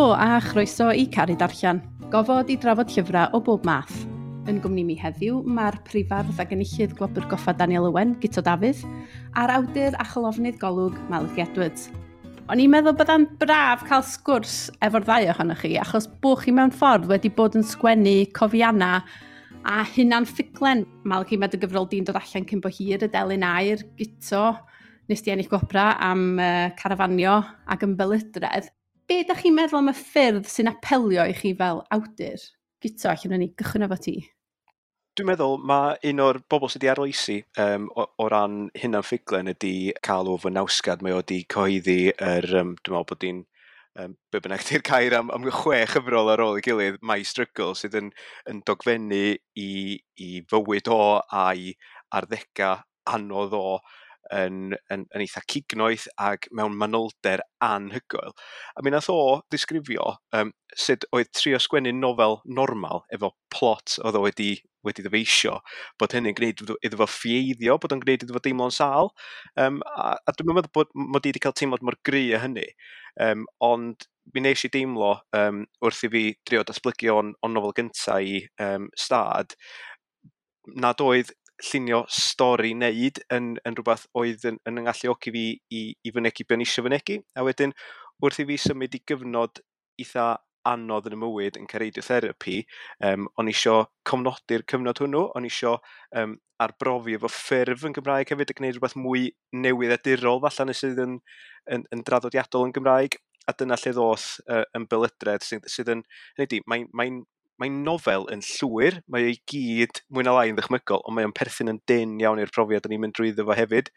Helo a chroeso i Caru Darllen, gofod i drafod llyfrau o bob math. Yn gwmni mi heddiw mae'r prifardd ac enillydd Gwobr Goffa Daniel Owen, Guto Dafydd, a'r awdur a cholofnydd Golwg, Malachy Edwards. O'n i'n meddwl byddai'n braf cael sgwrs efo'r ddau ohonoch chi, achos bo chi mewn ffordd wedi bod yn sgwennu cofianna a hunan ffuglen. Malachy, mae dy gyfrol di'n dod allan cyn bo hir, Y Delyn Aur, Guto, nes di ennill gwobra am carafanio ac ymbelydredd. Be ydych chi'n meddwl am y ffyrdd sy'n apelio i chi fel awdur? Guto, allan ni gychwyn efo ti. Dwi'n meddwl mae un o'r bobl sydd wedi arloesi o ran hunan ffuglen ydy Karl Ove Knausgaard. Mae o wedi cyhoeddi yr, dwi'n meddwl bod hi'n, be bynnag di'r gair am 6 chyfrol ar ôl ei gilydd, My Struggle, sydd yn dogfennu i fywyd o a'i arddegau anodd o yn eitha cignoeth ac mewn manylder anhygoel. A mi nath o ddisgrifio sut oedd trio sgwennu nofel normal efo plot oedd o wedi ddyfeisio, bod hynny'n gwneud iddo fo ffieiddio, bod o'n gwneud iddo fo deimlo'n sâl. A dwi'n meddwl bod mod i wedi cael teimlad mor gry â hynny. Ond mi wnes i deimlo wrth i fi drio datblygu o'n nofel gynta i Stad, nad oedd llunio stori wneud yn rhywbeth oedd yn ngalluogi fi i fynegi be o'n i eisiau fynegi. A wedyn, wrth i fi symud i gyfnod eitha anodd yn y mywyd yn cael radiotherapy, o'n i isio cofnodi'r cyfnod hwnnw, o'n i isio arbrofi efo ffurf yn Gymraeg hefyd a gwneud rhywbeth mwy newydd a dirol falle nes sydd yn draddodiadol yn Gymraeg. A dyna lle ddoth ymbelydredd sydd yn, hynny ydi, mae'n nofel yn llwyr, mae o'i gyd mwy na lai yn ddychmygol, ond mae o'n perthyn yn dynn iawn i'r profiad o'n i'n mynd drwyddo fo hefyd.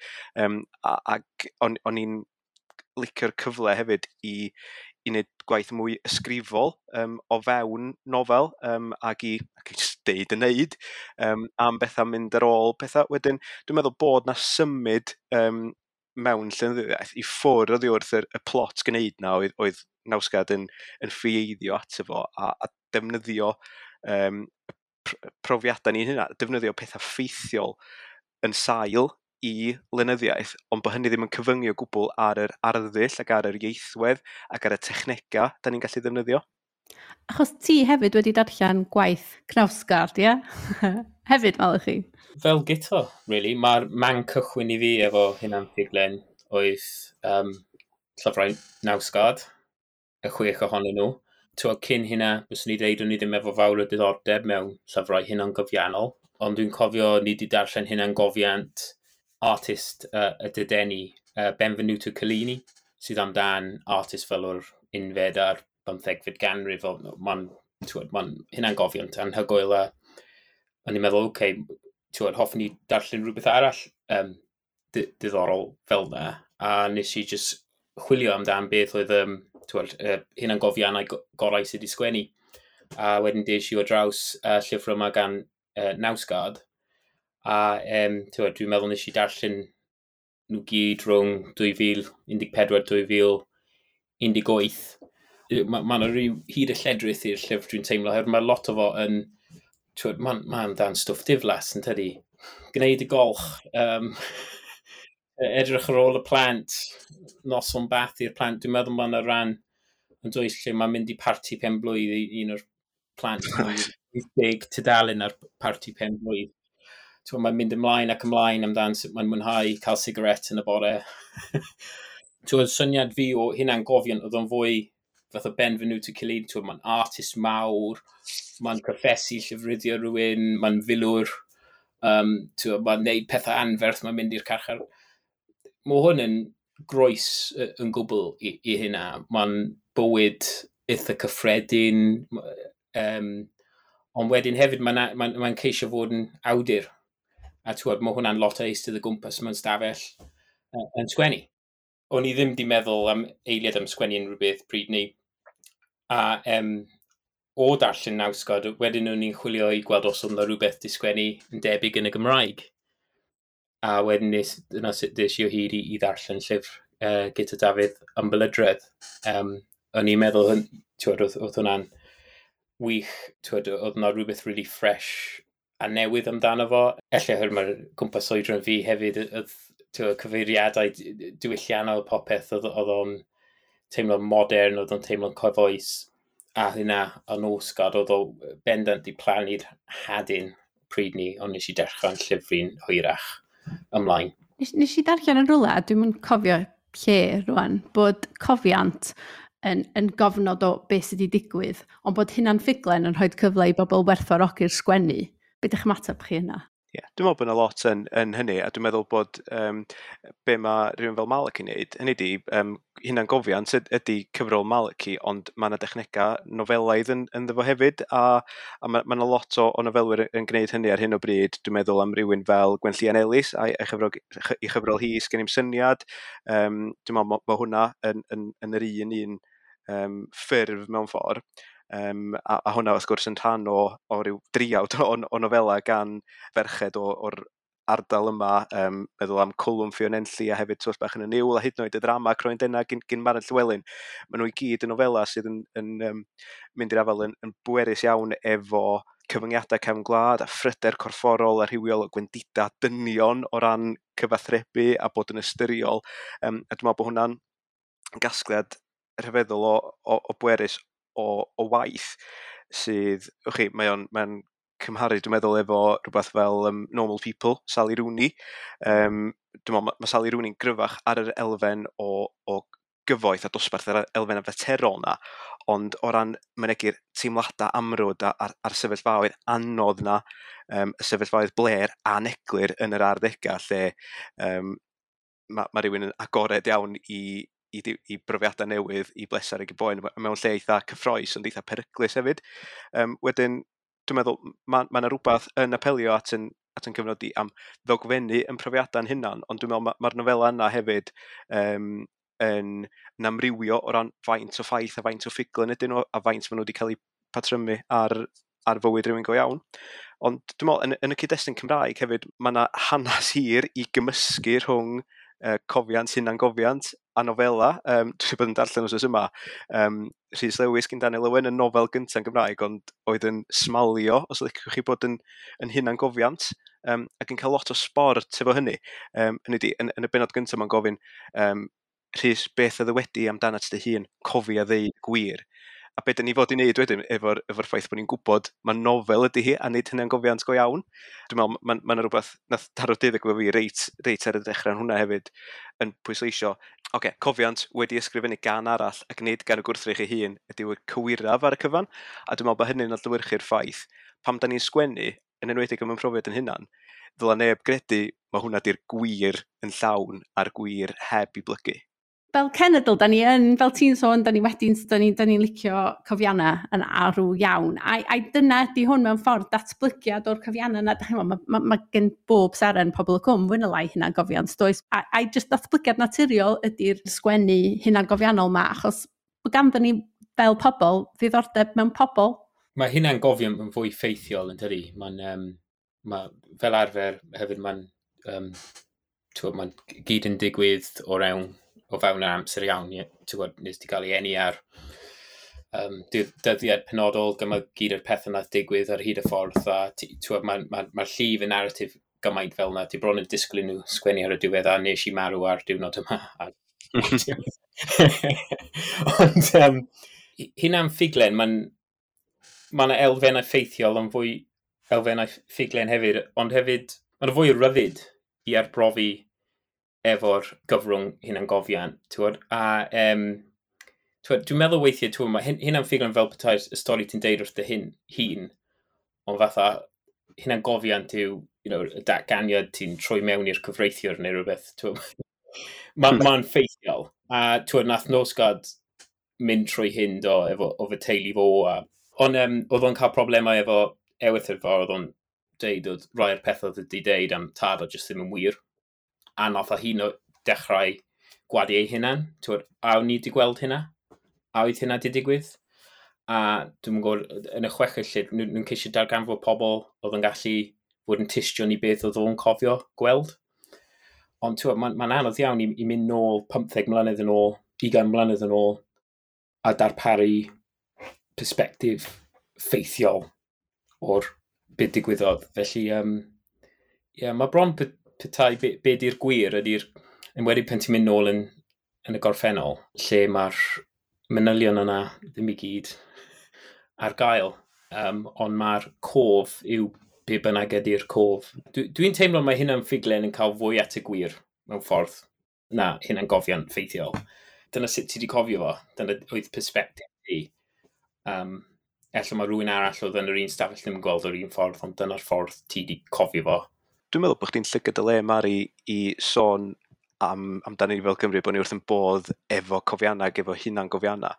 Ac o'n i'n licio'r cyfle hefyd i wneud gwaith mwy ysgrifol o fewn nofel, ac i jyst deud y neud, am bethau mynd ar ôl pethau. Wedyn, dwi'n meddwl bod na symud mewn llenyddiaeth i ffwrdd oddi wrth y plot gwneud na oedd Knausgaard yn ffieiddio ato fo a defnyddio profiadau ni'n hynna, defnyddio pethau ffeithiol yn sail i lenyddiaeth, ond bod hynny ddim yn cyfyngu o gwbl ar yr arddull ac ar yr ieithwedd ac ar y technegau da ni'n gallu ddefnyddio. Achos ti hefyd wedi darllen gwaith Knausgaard, ie? Hefyd, Malachy? Fel Guto, really. Mae'r man cychwyn i fi efo hunan ffuglen oedd llyfrau Knausgaard, y 6 ohonyn nhw. Cyn hynna, byswn i ddeud o'n i ddim efo fawr o diddordeb mewn llyfrau hunangofiannol, ond dwi'n cofio ni wedi darllen hunangofiant artist y Dadeni, Benvenuto Cellini, sydd amdan artist fel o'r unfed a'r bymthegfed ganrif. Mae'n hunangofiant anhygoel a o'n i'n meddwl, oce, hoffwn i darllen rhywbeth arall diddorol fel na. A nes i just chwilio amdan beth oedd hunangofiannau gorau sydd wedi sgwennu. A wedyn des i o draws llyfr yma gan Knausgaard. A dwi'n meddwl nes i darllen nhw gyd rhwng 2014 2018. Ma' 'na ryw hyd y lledrith i'r llyfr dwi'n teimlo, oherwydd mae lot o fo yn, ma'n amdan stwff diflas, yn tydi? Gwneud y golch, edrych ar ôl y plant, noson bath i'r plant. Dwi'n meddwl ma' 'na ran yn dwys lle mae'n mynd i parti pen-blwydd i un o'r plant, 80 tudalen ar parti pen-blwydd. Mae'n mynd ymlaen ac ymlaen amdan sut mae'n mwynhau cael sigaret yn y bore. Syniad fi o hunangofiant oedd o'n fwy fath o Benvenuto Cellini. Mae'n artist mawr, mae'n proffesu llofruddio rhywun, mae'n filwr, mae'n neud pethau anferth, mae'n mynd i'r carchar. Mae hwn yn groes yn gwbl i hynna. Mae'n bywyd eitha cyffredin, ond wedyn hefyd mae'n ceisio fod yn awdur. A mae hwnna'n lot o eistedd o gwmpas mewn stafell yn sgwennu. O'n i ddim di meddwl am eiliad am sgwennu unrhyw beth pryd ni. A o darllen Knausgaard, wedyn o'n i'n chwilio i gweld os oedd 'na rhywbeth di sgwennu yn debyg yn y Gymraeg. A wedyn dyna sut des i o hyd i ddarllen llyfr Guto Dafydd Ymbelydredd. O'n i'n meddwl, oedd hwnna'n wych, oedd 'na rhywbeth really fresh a newydd amdano fo. Ella oherwydd mae'r gwmpas oedran fi hefyd, oedd cyfeiriadau diwylliannol popeth, oedd o'n teimlo'n modern, oedd o'n teimlo'n cyfoes, a hynna o Nosgard, oedd o bendant di plannu'r hadyn pryd ni, ond nes i dechrau'n llyfru'n hwyrach ymlaen. Nes i darllen yn rhywle, a dwi'n cofio lle rwan, bod cofiant yn gofnod o beth sydd wedi digwydd, ond bod hynna'n ffuglen yn rhoi cyfle i bobl werthfawrogi'r sgwennu. Be ydych ymateb chi yna? Ie, yeah, dwi'n meddwl bod yna lot yn hynny, a dwi'n meddwl bod be mae rhywun fel Malachy'n neud, hynny di, hunangofiant ydy cyfrol Malachy, ond mae yna dechnegau nofelaidd ynddo fo hefyd, a mae yna lot o nofelwyr yn gwneud hynny ar hyn o bryd. Dwi'n meddwl am rhywun fel Gwenllian Ellis, a'i chyfrol hi, Sgen i'm syniad. Dwi'n meddwl mae hwnna yn yr un ffurf mewn ffordd. A hwnna wrth gwrs yn rhan o ryw driawd o nofela gan ferched o'r ardal yma, meddwl am Cwlwm Ffion Enlli a hefyd Twll Bach yn y Niwl a hyd yn oed y ddrama Croen Denau gyn Maren Llywelyn. Maen nhw i gyd yn nofela sydd yn mynd i'r afael yn bwerus iawn efo cyfyngiadau cefn gwlad a phryder corfforol a rhywiol o gwendida dynion o ran cyfathrebu a bod yn ystyriol. A dwi'n meddwl bod hwnna'n gasgliad rhyfeddol o bwerus o waith sydd, mae o'n cymharu, dwi'n meddwl, efo rhywbeth fel Normal People, Sally Rooney. Dwi'n meddwl, mae Sally Rooney'n gryfach ar yr elfen o gyfoeth a dosbarth, yr elfen faterol na, ond o ran mynegi'r teimladau amrwd a'r sefyllfaoedd anodd na, y sefyllfaoedd bler aneglur yn yr 60au, lle mae rhywun yn agored iawn i brofiadau newydd, i bleser ag i boen, mewn lle eitha cyffrous, ond eitha peryglus hefyd. Wedyn, dwi'n meddwl, mae yna rhywbeth yn apelio at yn cyfnod i am ddogfennu yn profiadau'n hunan, ond dwi'n meddwl mae'r nofela yna hefyd yn amrywio o ran faint o ffaith a faint o ffuglen ydyn nhw, a faint maen nhw wedi cael eu patrymu ar fywyd rhywun go iawn. Ond dwi'n meddwl, yn y cyd-destun Cymraeg hefyd, mae yna hanes hir i gymysgu rhwng cofiant, hunangofiant a nofela. Dwi wedi bod yn darllen wsos yma. Rhys Lewis gyn Daniel Owen, y nofel gyntaf yn Gymraeg, ond oedd yn smalio, os ydych chi bod yn hunangofiant, ac yn cael lot o sbort efo hynny. Hynny ydi, yn y bennod gyntaf mae'n gofyn, Rhys, beth a ddywedi amdanat dy hun, cofia ddeud gwir. A be dyn ni fod i wneud wedyn efo'r ffaith bod ni'n gwybod mae nofel ydy hi a nid hunangofiant go iawn. Dwi'n meddwl, mae yna rhywbeth nath taro deuddeg efo fi reit ar y dechrau yn hwnna hefyd yn pwysleisio, oce, cofiant wedi ysgrifennu gan arall ac nid gan y gwrthrych ei hun ydy'r cywiraf ar y cyfan. A dwi'n meddwl bod hynny'n adlewyrchu'r ffaith pam da ni'n sgwennu, yn enwedig am ymprofiad yn hunan, ddyla neb gredu mae hwnna di'r gwir yn llawn a'r gwir heb i blygu. Fel cenedl, da ni yn, fel ti'n sôn, da ni wedyn, da ni'n licio cofiannau yn arw iawn. A dyna ydy hwn mewn ffordd datblygiad o'r cofiannau yna. Mae gen bob seren Pobol y Cwm, fwy na lai hunangofiant, does? A just datblygiad naturiol ydy'r sgwennu hunangofiannol ma, achos bod ganddo ni fel pobl ddiddordeb mewn pobl. Mae hunangofiant yn fwy ffeithiol yn dydi. Mae'n, fel arfer hefyd mae'n gyd yn digwydd o rewn o fewn yr amser iawn, ti'n gwybod, nes ti gael ei eni ar dyddiad penodol, gyma gyd o'r pethau nath digwydd ar hyd y ffordd, a ti'n gwybod, mae'r llif y narratif gymaint fel na, ti bron yn disgwyl i nhw sgwennu ar y diwedd, a nes i marw ar diwrnod yma. Ond hynna'n ffuglen, mae yna elfennau ffeithiol, ond fwy elfennau ffuglen hefyd, ond hefyd, mae'n fwy o ryddid i arbrofi efo'r gyfrwng hunangofiant, ti'n gwybod? A dwi'n meddwl weithiau, ti'n gwybod, mae hynna'n ffuglen fel petai'r y stori ti'n deud wrth dy hun, ond fatha hunangofiant yw, you know, y datganiad ti'n troi mewn i'r cyfreithiwr neu rhywbeth, ti'n gwybod? Mae'n ffeithiol. A ti'n gwybod, nath Nosgard mynd trwy hyn do, efo fy teulu fo. Ond oedd o'n cael problemau efo ewythr fo, oedd o'n deud oedd rai o'r pethau oedd wedi deud am tad o jyst ddim yn wir. A nath o hi'n dechrau gwadu ei hunan. Twyd, a o'n i wedi gweld hynna? A oedd hynna wedi digwydd? A dwi'n gwybod, yn y chweched lle, nhw'n ceisio darganfod pobl oedd yn gallu fod yn tystion i beth oedd o'n cofio gweld. Ond mae'n anodd iawn i mynd nôl 15 mlynedd yn ôl, 20 mlynedd yn ôl, a darparu perspectif ffeithiol o'r beth digwyddodd. Felly, yeah, mae bron petai be di'r gwir ydy'r, enwedig pan ti'n mynd nôl yn yn y gorffennol, lle mae'r manylion yna ddim i gyd ar gael, ond mae'r cof yw be bynnag ydy'r cof. Dwi'n teimlo mae hynna'n ffuglen yn cael fwy at y gwir mewn ffordd na hynna'n gofiant ffeithiol. Dyna sut ti wedi cofio fo, dyna oedd perspective ti. Ella mae rhywun arall oedd yn yr un stafell ddim yn gweld o'r un ffordd, ond dyna'r ffordd ti wedi cofio fo. Dwi'n meddwl bod chdi'n llygad y le, Mari, i sôn amdani ni fel Cymru, bod ni wrth yn bodd efo cofiannau ac efo hunan-gofiannau.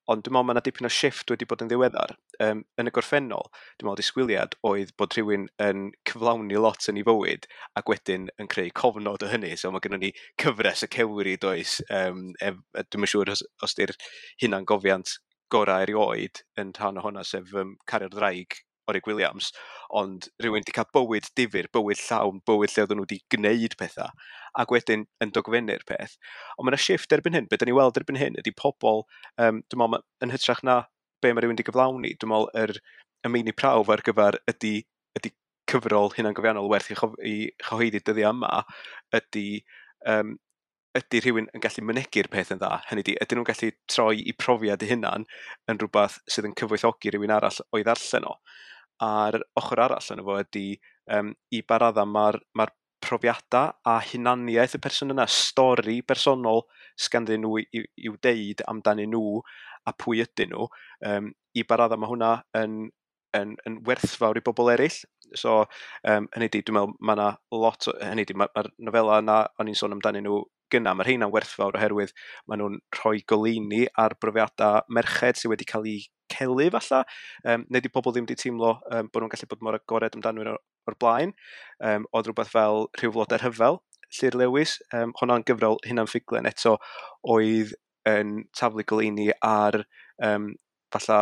Ond dwi'n meddwl mae yna dipyn o shift wedi bod yn ddiweddar. Yn y gorffennol, dwi'n meddwl disgwyliad oedd bod rhywun yn cyflawni lot yn ei fywyd ac wedyn yn creu cofnod o hynny. So mae gennym ni cyfres y cewri, does. Dwi'm yn siŵr os di'r hunan-gofiant gorau erioed yn rhan o hwnna, sef Cario'r Ddraig Orig Williams, ond rhywun wedi cael bywyd difyr, bywyd llawn, bywyd lle oedden nhw wedi gwneud pethau, ac wedyn yn dogfennu'r peth. Ond mae yna shift erbyn hyn, be da ni weld erbyn hyn ydy pobl, dwi'n meddwl, yn hytrach na be mae rhywun wedi gyflawni, dwi'n meddwl y meini prawf ar gyfer ydy cyfrol hunangofiannol werth i chyhoeddi dyddiau yma, ydy rhywun yn gallu mynegi'r peth yn dda. Hynny ydy, ydyn nhw'n gallu troi i profiad eu hunan yn rhywbeth sydd yn cyfoethogi rhywun arall o'i ddarllen o. A'r ochr arall yna fo ydy i ba radda mae'r profiadau a hunaniaeth y person yna, stori bersonol sganddyn nhw i'w deud amdanyn nhw a pwy ydyn nhw, i ba radda mae hwnna yn werthfawr i bobl eraill. So, hynny ydy, dwi'n meddwl mae yna lot o, hynny ydy, mae'r nofela yna o'n i'n sôn amdanyn nhw gynna, mae'r rheina'n werthfawr oherwydd maen nhw'n rhoi goleuni ar brofiadau merched sydd wedi cael eu celu falla, neu di pobl ddim wedi teimlo bod nhw'n gallu bod mor agored amdanyn nhw o'r blaen. Oedd rhywbeth fel Rhyw Flodau'r Rhyfel, Llyr Lewis, hwnna'n gyfrol hunan ffuglen eto oedd yn taflu goleuni ar falla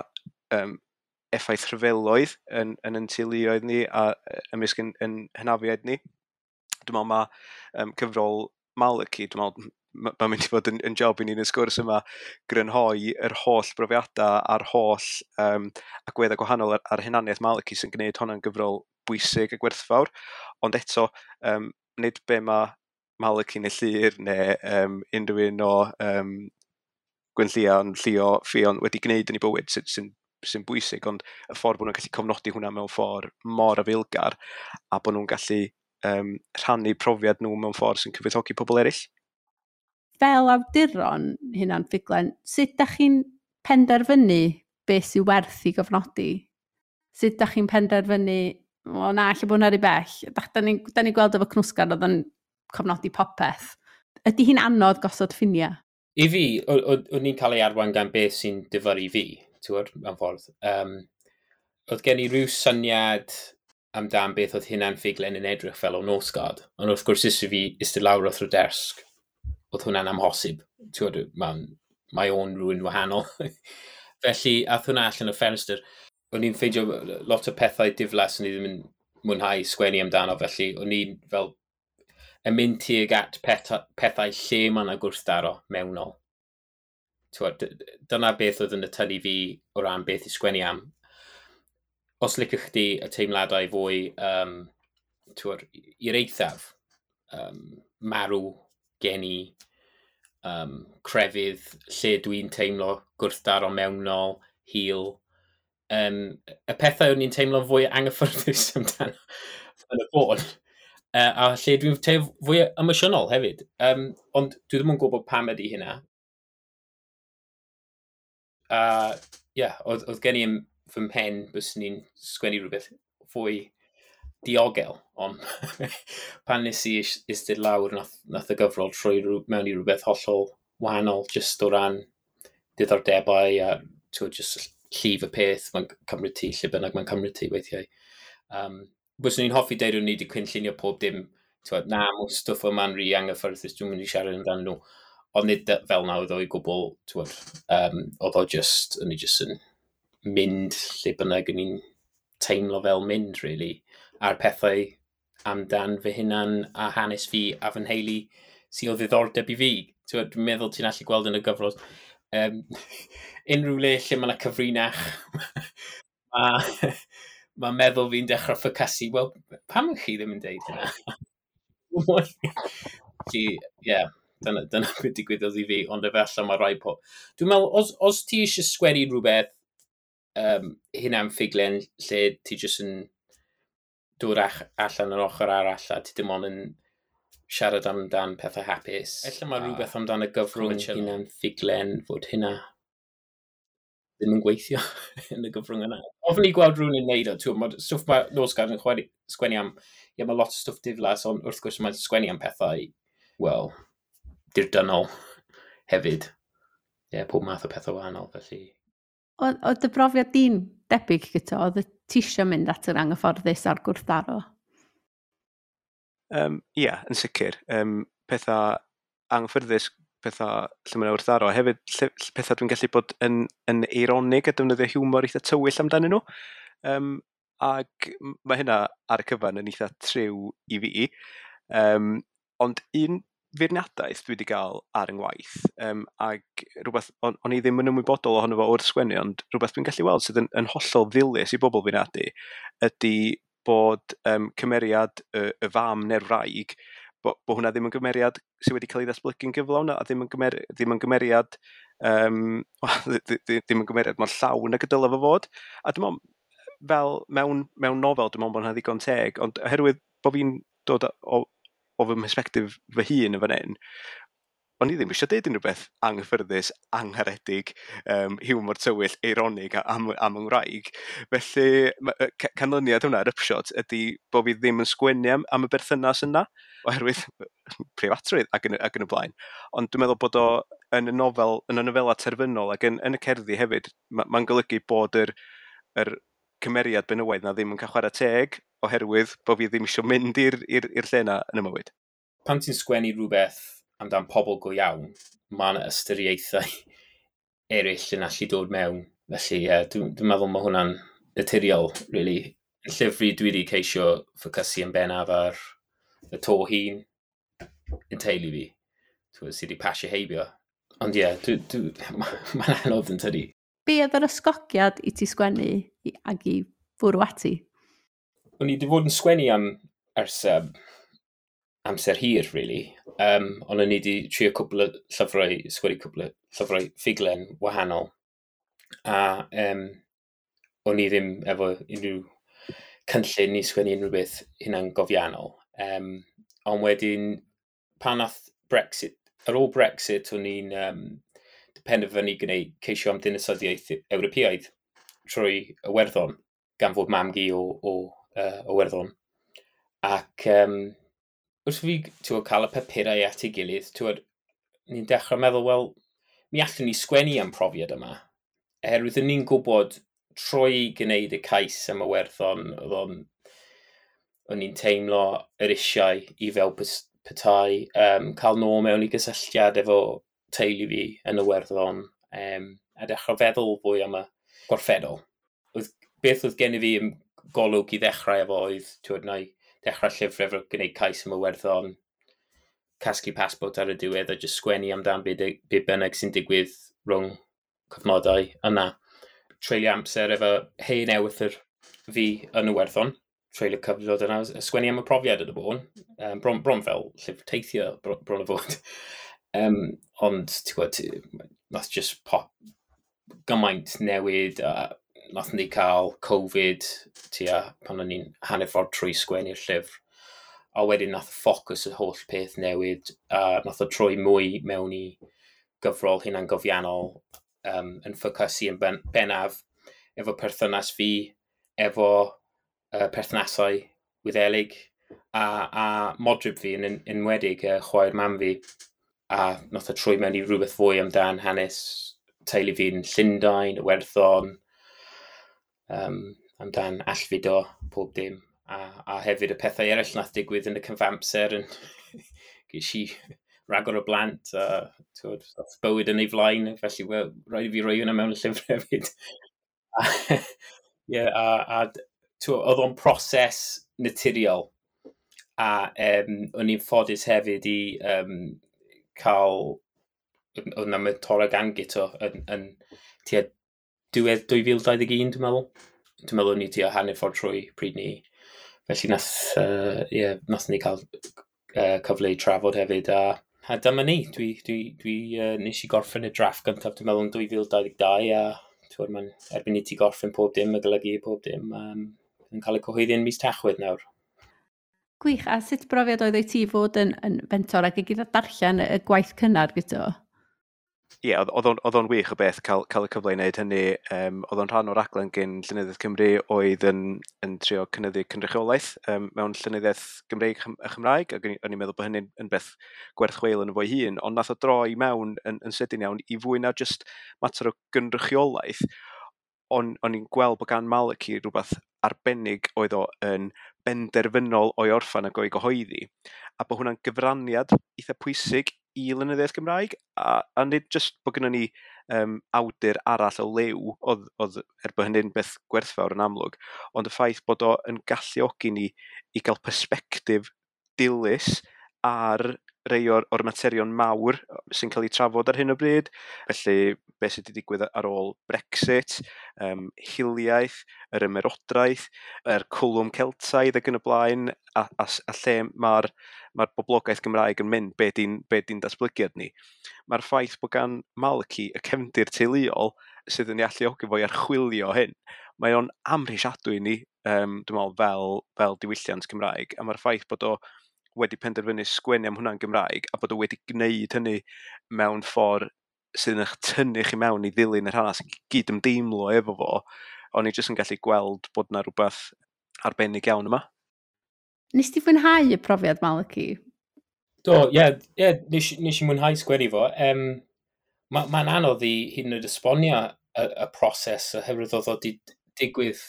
effaith rhyfeloedd yn teuluoedd ni a ymysg yn hynafiaid ni. Dwi'n meddwl mae cyfrol Malachy, dwi'n meddwl mae'n mynd i fod yn job i ni yn y sgwrs yma grynhoi yr holl brofiadau a'r holl agweddau gwahanol ar hunaniaeth Malachy sy'n gwneud hwnna'n gyfrol bwysig a gwerthfawr. Ond eto, nid be mae Malachy neu Llyr neu unrhyw un o Gwenllian, Llio, Ffion wedi gwneud yn ei bywyd sy'n bwysig, ond y ffordd bod nhw'n gallu cofnodi hwnna mewn ffordd mor afaelgar a bod nhw'n gallu rhannu profiad nhw mewn ffordd sy'n cyfoethogi pobl eraill. Fel awduron hunan ffuglen, sut dach chi'n penderfynu beth sy'n werth i gofnodi? Sut dach chi'n penderfynu, o na, lle bod hwnna rhy bell? Da ni'n gweld efo Knusgard oedd yn cofnodi popeth. Ydy hi'n anodd gosod ffiniau? I fi, o'n i'n cael ei arwain gan beth sy'n difyrru fi, ti'n gwybod, mewn ffordd. Oedd gen i rhyw syniad amdan beth oedd hunan ffuglen yn edrych fel o Nosgard. Ond wrth gwrs, is i fi eistedd lawr wrth y desg, oedd hwnna'n amhosib. Ti'n gwybod, mae o'n rhywun wahanol. Felly, ath hwnna allan o ffenestr. O'n i'n ffeindio lot o pethau diflas o'n i ddim yn mwynhau sgwennu amdano, felly o'n i'n fel yn mynd tuag at pethau lle mae yna gwrthdaro mewnol. Ti'n gwybod, dyna beth oedd yn y tynnu fi o ran beth i sgwennu am. Os liciwch chdi y teimladau fwy ti'n gwybod, i'r eithaf, marw, geni, crefydd, lle dwi'n teimlo gwrthdaro mewnol, hil. Y pethau o'n i'n teimlo fwy anghyffyrddus amdano yn y bôn. A lle dwi'n teimlo fwy emosiynol hefyd. Ond dwi ddim yn gwybod pam ydy hynna. Oedd gen i yn fy mhen byswn i'n sgwennu rhywbeth fwy diogel, ond pan nes i eistedd lawr, nath y gyfrol troi mewn i rhywbeth hollol wahanol, just o ran diddordebau a just llif y peth, mae'n cymryd ti, lle bynnag mae'n cymryd ti weithiau. Byswn i'n hoffi deud o'n i wedi cynllunio pob dim, ti'n na, mae stwff yma'n rhy anghyffyrddus, dwi'n mynd i siarad amdano nhw. Ond nid fel na oedd o i gwbl, ti'n oedd o just, o'n i just yn mynd lle bynnag o'n i'n teimlo fel mynd, really, a'r pethau amdan fy hunan a hanes fi a fy nheulu sydd o ddiddordeb i fi. Dwi'n meddwl ti'n allu gweld yn y gyfrol. Unrhyw le lle mae yna cyfrinach, mae meddwl fi'n dechrau ffocysu, wel, pam chi ddim yn deud hynna? Felly, ie, Dyna beth digwyddodd i fi, ond efallai mae rai po... Dwi'n meddwl, os ti eisiau sgwennu rhywbeth hynna'n ffuglen lle ti jyst yn dod allan yr ochr arall a ti dim ond yn siarad amdan pethau hapus. Ella mae rhywbeth amdan y gyfrwng hynna'n ffuglen fod hynna ddim yn gweithio yn y gyfrwng yna. Ofn i gweld rhywun yn neud o, ti'n gwbod, stwff mae Knausgård yn sgwennu am, ie, mae lot o stwff diflas, ond wrth gwrs mae'n sgwennu am pethau, wel, dirdynnol hefyd. Ie, pob math o pethau wahanol, felly. Oedd dy brofiad di'n debyg gyda, oedd y ti isio mynd at yr anghyfforddus a'r gwrthdaro? Ie, yn sicr. Pethau anghyffyrddus, pethau lle mae'n wrthdaro. Hefyd, pethau dwi'n gallu bod yn eironig a defnyddio hiwmor eitha tywyll amdanyn nhw. Ac mae hynna ar y cyfan yn eitha triw i fi. Ond un feirniadaeth dwi wedi gael ar yng ngwaith, ac rhywbeth o'n i ddim yn ymwybodol ohono fo wrth sgwennu, ond rhywbeth dwi'n gallu weld sydd yn hollol ddilys i bobl feirniadu, ydy bod cymeriad y fam neu'r wraig, bo hwnna ddim yn gymeriad sydd wedi cael ei ddatblygu'n gyflawn, a ddim yn gymeriad ddim yn gymeriad mor llawn ag y dylai fo fod. A dwi'n meddwl, fel mewn nofel, dwi'n meddwl bod hwnna ddigon teg, ond oherwydd bod fi'n dod o fy mhersbectif fy hun yn fan hyn, o'n i ddim eisiau deud unrhyw beth anghyffyrddus, angharedig, hiwmor tywyll, eironig am yng Ngwraig. Felly, canlyniad hwnna, yr upshot, ydy bod fi ddim yn sgwennu am y berthynas yna, oherwydd preifatrwydd ac yn y blaen. Ond dwi'n meddwl bod o yn y nofel, yn y nofela terfynol ac yn y cerddi hefyd, mae'n golygu bod yr cymeriad benywaidd na ddim yn cael chwarae teg, oherwydd bod fi ddim eisiau mynd i'r lle yna yn y mywyd. Pan ti'n sgwennu rhywbeth amdan pobl go iawn, mae yna ystyriaethau eraill yn allu dod mewn. Felly, yeah, dwi'n meddwl mae hwnna'n naturiol, really. Yn llyfr dwi wedi ceisio ffocysu yn bennaf ar y to hun yn teulu fi, sydd wedi pasio heibio. Ond ie, yeah, mae'n anodd yn tydi. Be oedd yr ysgogiad i ti sgwennu ac i fwrw ati? O'n i wedi fod yn sgwennu am ers amser hir, really. Ond o'n i wedi trio cwpl o llyfrau, sgwennu cwpl o llyfrau ffuglen wahanol. A o'n i ddim efo unrhyw cynllun i sgwennu unrhyw beth hunangofiannol. Ond wedyn, pan nath Brexit, ar ôl Brexit, o'n i'n penderfynu gwneud ceisio am dinasyddiaeth Ewropeaidd trwy Iwerddon, gan fod mam-gu o Iwerddon. Ac wrth fi cael y papurau at ei gilydd, ni'n dechrau meddwl, wel, mi allwn ni sgwennu am profiad yma. Oherwydd o'n ni'n gwybod trwy gwneud y cais am Iwerddon, o'n i'n teimlo yr eisiau i fel petai, cael nôl mewn i gysylltiad efo teulu fi yn Iwerddon, a dechrau feddwl fwy am y gorffennol. Beth oedd gen i fi yn golwg i ddechrau efo oedd, na i dechrau llyfr efo gwneud cais am Iwerddon, casglu passport ar y diwedd a jyst sgwennu amdan be bynnag sy'n digwydd rhwng cyfnodau yna. Treulio amser efo hen ewythr fi yn Iwerddon, treulio cyfnod yna, a sgwennu am y profiad yn y bôn, bron fel llyfr teithio bron o fod. Ond, ti'n gwybod, nath just pop gymaint newid, a nath ni cael Covid tua pan o'n i'n hanner ffordd trwy sgwennu'r llyfr. A wedyn nath ffocws y holl peth newid, a nath o troi mwy mewn i gyfrol hunangofiannol, yn ffocysu yn bennaf efo perthynas fi, efo perthnasau Wyddelig, a modryb fi yn enwedig, chwaer mam fi. A nath o troi mewn i rhywbeth fwy amdan hanes teulu fi'n Llundain, Iwerddon, amdan allfudo, pob dim. A hefyd y pethau eraill nath digwydd yn y cyfamser, yn ges i ragor o blant, a bywyd yn ei flaen, felly well, rhaid i fi roi hwnna mewn y llyfr hefyd. Oedd o'n proses naturiol, a o'n i'n ffodus hefyd i cael, oedd na mentora gan Guto yn tua diwedd 2021, dwi'n meddwl. Dwi'n meddwl o'n i tua hanner ffordd trwy pryd ni. Felly nath ni cael cyfle i trafod hefyd, a A dyma ni, dwi nes i gorffen y drafft gyntaf, dwi'n meddwl, yn 2022, a twyd, mae'n erbyn i ti gorffen pob dim a golygu pob dim, yn cael ei cyhoeddi yn mis Tachwedd nawr. Gwych, a sut brofiad oedd i ti fod yn fentor ac i gyda darllen y gwaith cynnar gyda? Ie, yeah, oedd o'n wych o beth cael y cyfle i wneud hynny. Oedd o'n rhan o'r raglen gen Llenyddiaeth Cymru oedd yn trio cynyddu cynrychiolaeth mewn llenyddiaeth Gymreig a Chymraeg, ac o'n i'n meddwl bod hynny'n yn beth gwerth chweil yn fo'i hun, ond nath o droi mewn yn sydyn iawn i fwy na just mater o gynrychiolaeth. O'n i'n gweld bod gan Malachy rhywbeth arbennig oedd o yn benderfynol o'i orffan ac o'i gyhoeddi, a bod hwnna'n gyfraniad eitha pwysig i lenyddiaeth Gymraeg, a nid jyst bod gennym ni awdur arall o liw, oedd er bod hynny'n beth gwerthfawr yn amlwg, ond y ffaith bod o yn galluogi ni i gael persbectif dilys ar rei o'r materion mawr sy'n cael eu trafod ar hyn o bryd. Felly, beth sydd wedi digwydd ar ôl Brexit, hiliaeth, yr ymerodraeth, yr cwlwm Celtaidd ac yn y blaen, a lle mae'r boblogaeth Gymraeg yn mynd, be di'n datblygiad ni. Mae'r ffaith bod gan Malachy y cefndir teuluol sydd yn ei alluogi fo i archwilio hyn, mae o'n amhrisiadwy i ni, dwi'n meddwl, fel diwylliant Cymraeg, a mae'r ffaith bod o wedi penderfynu sgwennu am hwnna'n Gymraeg a bod o wedi gwneud hynny mewn ffordd sydd yn eich tynnu chi mewn i ddilyn yr hanes, gyd ymdeimlo efo fo, o'n i jyst yn gallu gweld bod yna rhywbeth arbennig iawn yma. Nes ti fwynhau y profiad, Malachy? Do, ie, yeah, nes i mwynhau sgwennu fo. Mae'n anodd i hyd yn oed esbonio y proses oherwydd oedd o wedi digwydd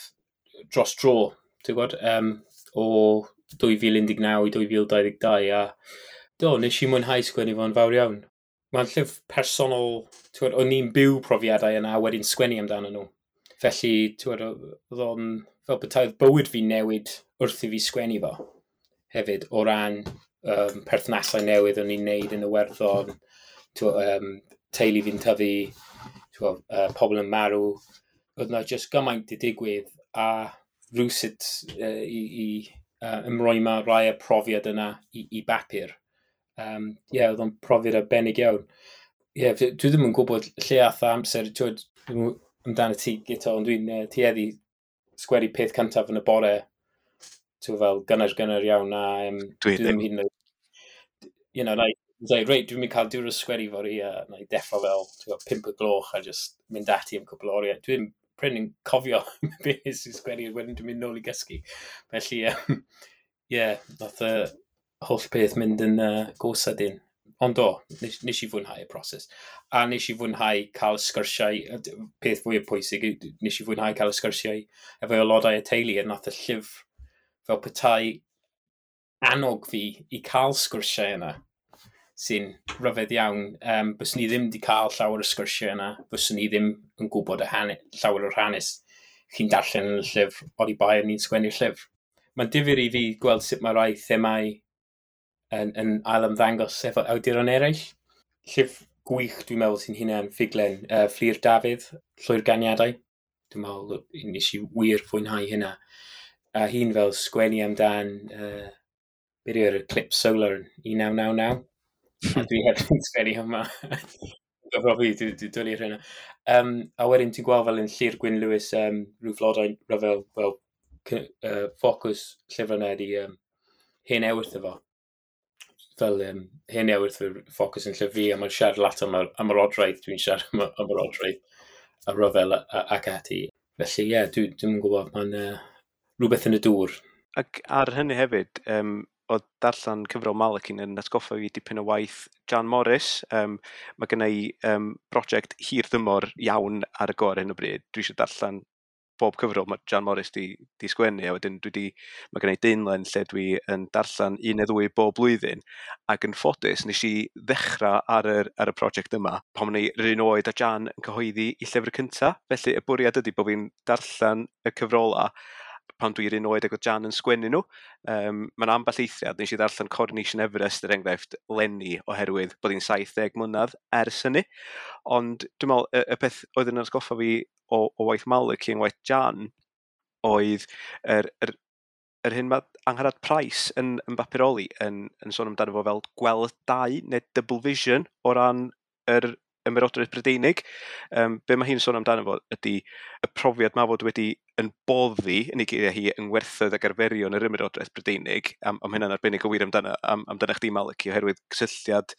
dros dro, ti'n gwybod, o 2019 i 2022, a do, nes i mwynhau sgwennu fo'n fawr iawn. Mae'n llyfr personol, ti'n gwybod, o'n i'n byw profiadau yna a wedyn sgwennu amdano nhw. Felly, ti'n gwybod, oedd o'n fel petai'r bywyd fi newid wrth i fi sgwennu fo. Hefyd, o ran perthnasau newydd o'n i'n neud yn y Werddon, teulu fi'n tyfu, ti'n gwybod, pobl yn marw. Oedd yna jyst gymaint i digwydd a rhywsut i ymroi ma rai y profiad yna i bapur. Ie, oedd o'n profiad arbennig iawn. Ie, yeah, dwi ddim yn gwybod lle ath amser, ti'n gwybod, amdano ti, Guto, ond dwi'n tueddu sgwennu peth cyntaf yn y bore, ti'n fel gynnar iawn, a dwi ddim hyd yn oed, you know, na i dweud, reit, dwi'n mynd cael diwrnod sgwennu fory, a na i deffro fel, ti'n gwybod, 5 o gloch a just mynd ati am cwpl o oriau. Dwi'n prin yn cofio beth nes i sgwennu, wedyn dwi'n mynd nôl i gysgu. Felly, ie, nath y holl peth mynd yn go sydyn. Ond do, nes i fwynhau y proses. A nes i fwynhau cael sgyrsiau, peth fwyaf pwysig, nes i fwynhau cael y sgyrsiau efo aelodau y teulu, a nath y llyfr fel petai annog fi i cael sgyrsiau yna, sy'n rhyfedd iawn. Byswn ni ddim wedi cael llawer o sgyrsiau yna, byswn ni ddim yn gwybod y llawer o'r hanes chi'n darllen yn y llyfr, oni bai o'n i'n sgwennu'r llyfr. Mae'n difyr i fi gweld sut mae rai themau yn ail ymddangos efo awduron eraill. Llyfr gwych, dwi'n meddwl, sy'n hunan ffuglen, Fflur Dafydd, Llwyr Ganiadau. Dwi'n meddwl nes i wir fwynhau hynna. A hi'n fel sgwennu amdan beth yw'r Eclipse Solar yn 1999. A dwi heb yn sgwennu yma. Gyfro fi, dwi dwlu ar hynna. A wedyn ti'n gweld fel yn Llyr Gwyn Lewis, rhyw flodau rhyfel, fel ffocws llyfr yna ydi hen ewythr efo. Fel hen ewythr ffocws yn llyfr fi, a mae'n siarad lot am yr odraeth, dwi'n siarad am yr odraeth, a rhyfel ac ati. Felly ie, yeah, dwi'n gwybod, mae'n rhywbeth yn y dŵr. Ac ar hynny hefyd, oedd darllen cyfrol Malachy yn atgoffa fi dipyn o waith Jan Morris. Mae gen i brosiect hir dymor iawn ar y go ar hyn o bryd. Dwi eisiau darllen bob cyfrol mae Jan Morris di sgwennu, a wedyn mae gen i daenlen lle dwi yn darllen un neu ddwy bob blwyddyn, ac yn ffodus nes i ddechrau ar y prosiect yma pan o'n i yr un oed a Jan yn cyhoeddi i llyfr cynta. Felly y bwriad ydy bod fi'n darllen y cyfrola pan dwi'n un oed ac oedd Jan yn sgwennu nhw. Mae'n ambell eithriad, nes i ddarllen Coronation Everest, er enghraifft, leni, oherwydd bod hi'n 70 mlynedd ers hynny. Ond dwi'n meddwl, y peth oedd yn atgoffa fi o waith Malachy yn waith Jan oedd yr yr hyn mae Angharad Price yn bapuroli yn sôn amdano fo fel gweld dau neu double vision o ran yr Ymerodraeth Brydeinig. Be mae hi'n sôn amdano fo ydy y profiad ma fod wedi yn boddi, yn ei geiriau hi, yng ngwerthoedd ac arferion yr Ymerodraeth Brydeinig, am hynna'n arbennig o wir amdano chdi, Maliki, oherwydd cysylltiad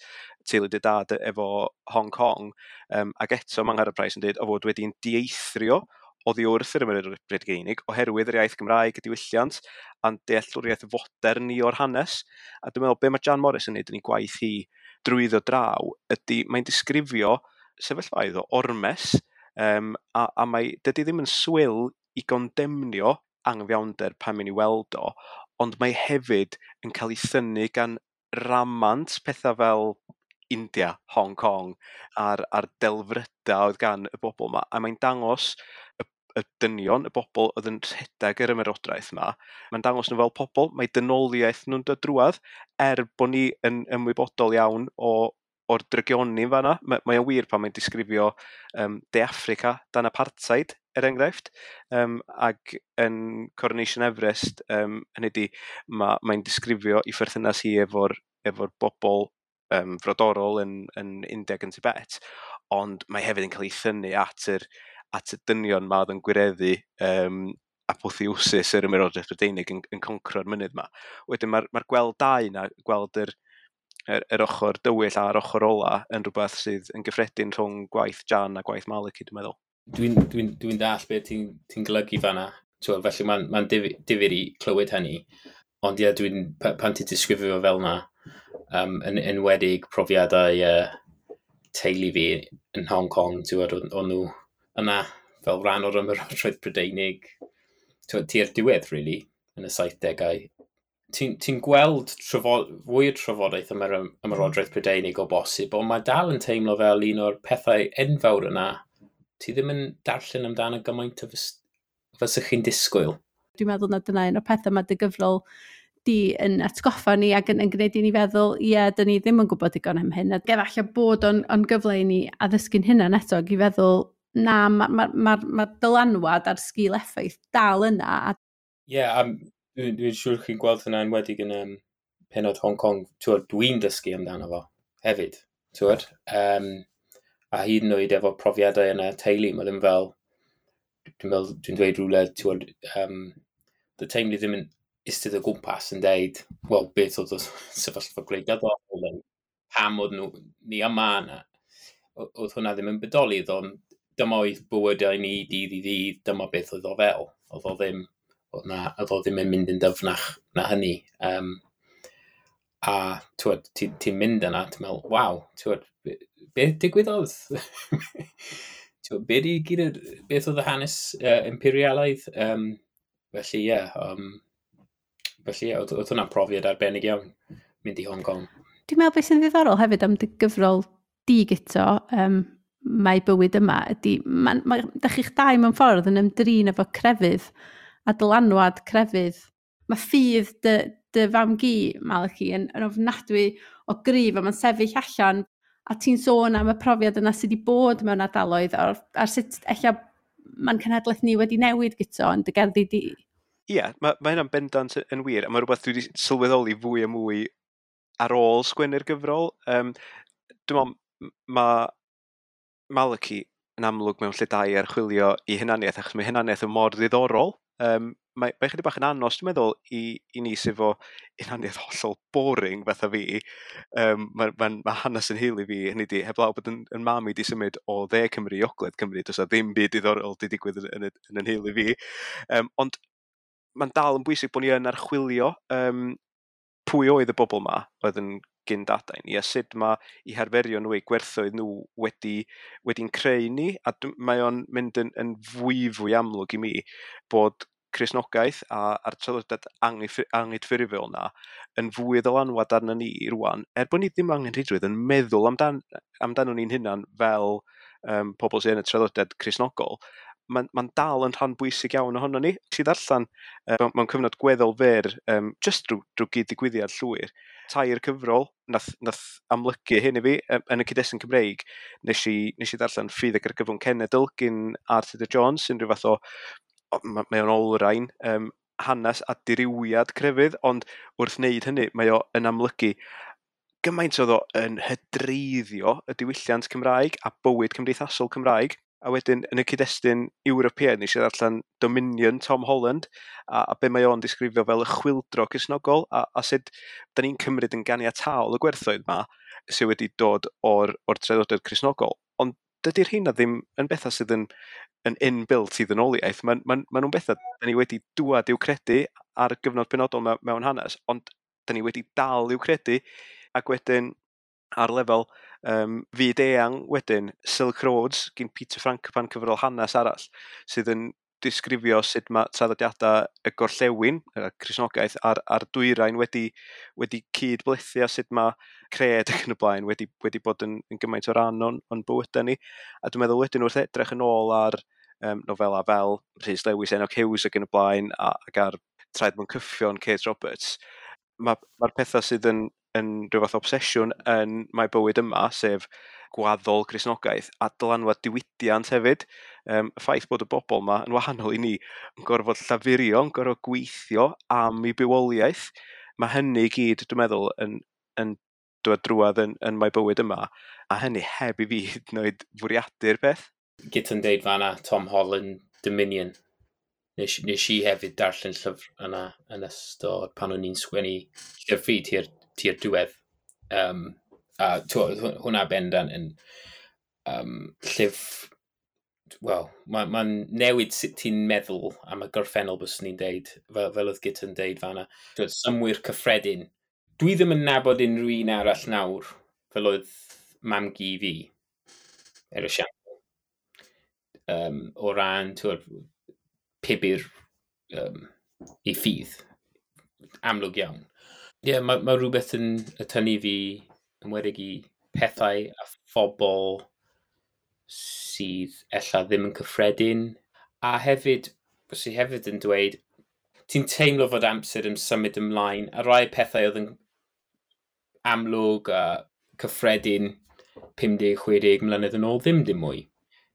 teulu dy dad efo Hong Kong, ac eto mae Angharad Price yn dweud o fod wedi'n dieithrio oddi wrth yr Ymerodraeth Brydeinig oherwydd yr iaith Gymraeg, y diwylliant, a'n dealltwriaeth fodern ni o'r hanes. A dwi'n meddwl, be mae Jan Morris yn neud yn ei gwaith hi drwyddo draw ydy mae'n disgrifio sefyllfaoedd o ormes, a mae, dydy ddim yn swil i gondemnio anghyfiawnder pan mynd i weld o, ond mae hefyd yn cael ei thynnu gan ramant pethau fel India, Hong Kong, a'r delfrydau oedd gan y bobl yma, a mae'n dangos y dynion, y bobl oedd yn rhedeg yr ymerodraeth yma, mae'n dangos nhw fel pobl, mae dynoliaeth nhw'n dod drwadd, er bod ni yn ymwybodol iawn o'r drygioni fanna. Mae o'n wir pan mae'n disgrifio De Affrica dan apartheid, er enghraifft, ac yn Coronation Everest, hynny ydi, mae'n disgrifio ei pherthynas hi efo'r bobl frodorol yn India ac yn Tibet, ond mae hefyd yn cael ei thynnu at y dynion ma oedd yn gwireddu apotheosis yr Ymerodraeth Brydeinig yn concro'r mynydd ma. Wedyn mae'r gweld dau na, gweld yr ochr dywyll a'r ochr ola yn rhywbeth sydd yn gyffredin rhwng gwaith Jan a gwaith Maliki, dwi'n meddwl. Dwi'n deall beth ti'n golygu fanna. Felly mae'n difyr i clywed hynny. Ond ie, pan ti'n disgrifio fel na, yn enwedig profiadau teulu fi yn Hong Kong, o'n nhw yna fel rhan o'r Ymerodraeth Brydeinig tua'r diwedd, really, yn y 70au. Ti'n gweld fwy o trafodaeth am yr Ymerodraeth Brydeinig o bosib, ond mae dal yn teimlo fel un o'r pethau enfawr yna. Ti ddim yn darllen amdano gymaint o fysych chi'n disgwyl. Dwi'n meddwl na dyna un o'r pethau mae dy gyfrol di yn atgoffa ni ac yn gwneud i ni feddwl, ie, dyn ni ddim yn gwybod digon am hyn. Ac efallai bod o'n gyfle i ni addysgu'n hunan eto ac i feddwl, na, ma dylanwad a'r sgil effaith dal yna. Ie, dwi'n siŵr chi'n gweld hynna enwedig yn penod Hong Kong. Dwi'n dysgu amdano fo hefyd. A hyd yn oed efo profiadau yna teulu, mae ddim fel, dwi'n meddwl, dwi'n dweud rhywle, dy teulu ddim yn eistedd o gwmpas yn deud, wel, beth oedd y sefyllfa gwleidyddol, neu pam oedd nhw, ni yma yna. Oedd hwnna ddim yn bodoli, ond dyma oedd bywydau ni dydd i ddydd, dyma beth oedd o fel. Oedd o ddim, oedd na, oedd o ddim yn mynd yn dyfnach na hynny. A ti'n mynd yna, ti'n meddwl, waw, beth digwyddodd? Be di gyd, beth oedd y hanes imperialaidd? Felly, ie, oedd hwnna'n profiad arbennig iawn, mynd i Hong Kong. Dwi'n meddwl beth sy'n ddiddorol hefyd am dy gyfrol di Guto, mae bywyd yma, ydy, dach chi'ch dau mewn ffordd yn ymdrin efo crefydd a dylanwad crefydd. Mae ffydd dy fam-gu, Maliki, yn ofnadwy o gryf a mae'n sefyll allan, a ti'n sôn am y profiad yna sydd wedi bod mewn ardaloedd a'r sut ella mae'n cenhedlaeth ni wedi newid Guto yn dy gerddi di. Ie, mae hynna'n bendant yn wir, a mae rhywbeth dwi wedi sylweddoli fwy a mwy ar ôl sgwennu'r gyfrol. Dwi'n meddwl, mae Maliki yn amlwg mewn lle da i archwilio i hunaniaeth, achos mae hunaniaeth yn mor ddiddorol. Mae chydig bach yn anos, dwi'n meddwl, i ni sydd efo hunaniaeth hollol boring fatha fi. Mae hanes yn heili fi, hynny di, heblaw bod yn mam i di symud o dde Cymru i ogledd Cymru, does 'na ddim byd diddorol di digwydd yn yn heili fi. Ond mae'n dal yn bwysig bod ni yn archwilio pwy oedd y bobl ma oedd yn gyndadau ni, a sut mae eu harferion nhw, eu gwerthoedd nhw wedi'n creu ni, a mae o'n mynd yn fwy amlwg i mi bod Cristnogaeth a'r traddodiad anghydffurfiol na yn fwy o ddylanwad arno ni rwan, er bod ni ddim angenrheidrwydd yn meddwl amdano ni'n hunan fel pobl sydd yn y traddodiad Cristnogol, mae'n dal yn rhan bwysig iawn ohono ni. Nes i ddarllen mewn cyfnod gweddol fyr, jyst drwy gyd-ddigwyddiad llwyr, tair cyfrol nath amlygu hyn i fi, yn y cyd-destun Cymreig. Nes i ddarllen Ffydd ac Argyfwng Cenedl gyn R. Tudur Jones, sy'n rhyw fath o, mae o'n olrhain hanes a dirywiad crefydd, ond wrth wneud hynny, mae o yn amlygu gymaint oedd o yn hydreiddio y diwylliant Cymraeg a bywyd cymdeithasol Cymraeg. A wedyn, yn y cyd-destun Ewropeaidd, nes i ddarllen Dominion Tom Holland, a be mae o'n disgrifio fel y chwyldro Cristnogol, a sut da ni'n cymryd yn ganiataol y gwerthoedd ma sydd wedi dod o'r traddodiad Cristnogol. Ond dydy'r rheina ddim yn bethau sydd yn inbuilt i ddynoliaeth. Ma nhw'n bethau da ni wedi dŵad i'w credu ar gyfnod penodol mewn hanes, ond da ni wedi dal i'w credu, ac wedyn ar lefel fyd eang wedyn, Silk Roads gyn Peter Frankopan, cyfrol hanes arall, sydd yn disgrifio sut mae traddodiadau y gorllewin, y Cristnogaeth, a'r dwyrain wedi cyd-blethu, a sut mae cred ac yn y blaen wedi bod yn gymaint o ran o'n bywydau ni. A dwi'n meddwl wedyn wrth edrych yn ôl ar nofela fel Rhys Lewis, Enoch Hughes ac yn y blaen, ac ar Traed Mewn Cyffion, Kate Roberts, mae'r pethau sydd yn rhyw fath o obsesiwn yn Mae Bywyd Yma, sef gwaddol Cristnogaeth a dylanwad diwydiant hefyd. Y ffaith bod y bobl yma yn wahanol i ni, yn gorfod llafurio, yn gorfod gweithio am eu bywoliaeth. Mae hynny i gyd, dwi'n meddwl, yn dod drwadd yn Mae Bywyd Yma, a hynny heb i fi hyd yn oed fwriadu'r peth. Gyda'n deud fanna, Tom Holland, Dominion. Nes i hefyd darllen llyfr yna yn ystod pan o'n i'n sgwennu llyfr fi tua'r diwedd. A hwnna bendant yn llyfr, wel, ma newid sut ti'n meddwl am y gorffennol, byswn ni'n deud, fel oedd Guto'n deud fanna. Synnwyr cyffredin. Dwi ddim yn nabod unrhyw un arall nawr, fel oedd mam-gu fi, er esiampl. O ran, pybyr i ffydd. Amlwg iawn. Ie, yeah, mae rhywbeth yn y tynnu fi yn enwedig i pethau a phobl sydd ella ddim yn cyffredin. A hefyd, bys i hefyd yn dweud, ti'n teimlo fod amser yn symud ymlaen, a rai pethau oedd yn amlwg a cyffredin 50-60 mlynedd yn ôl ddim dim mwy.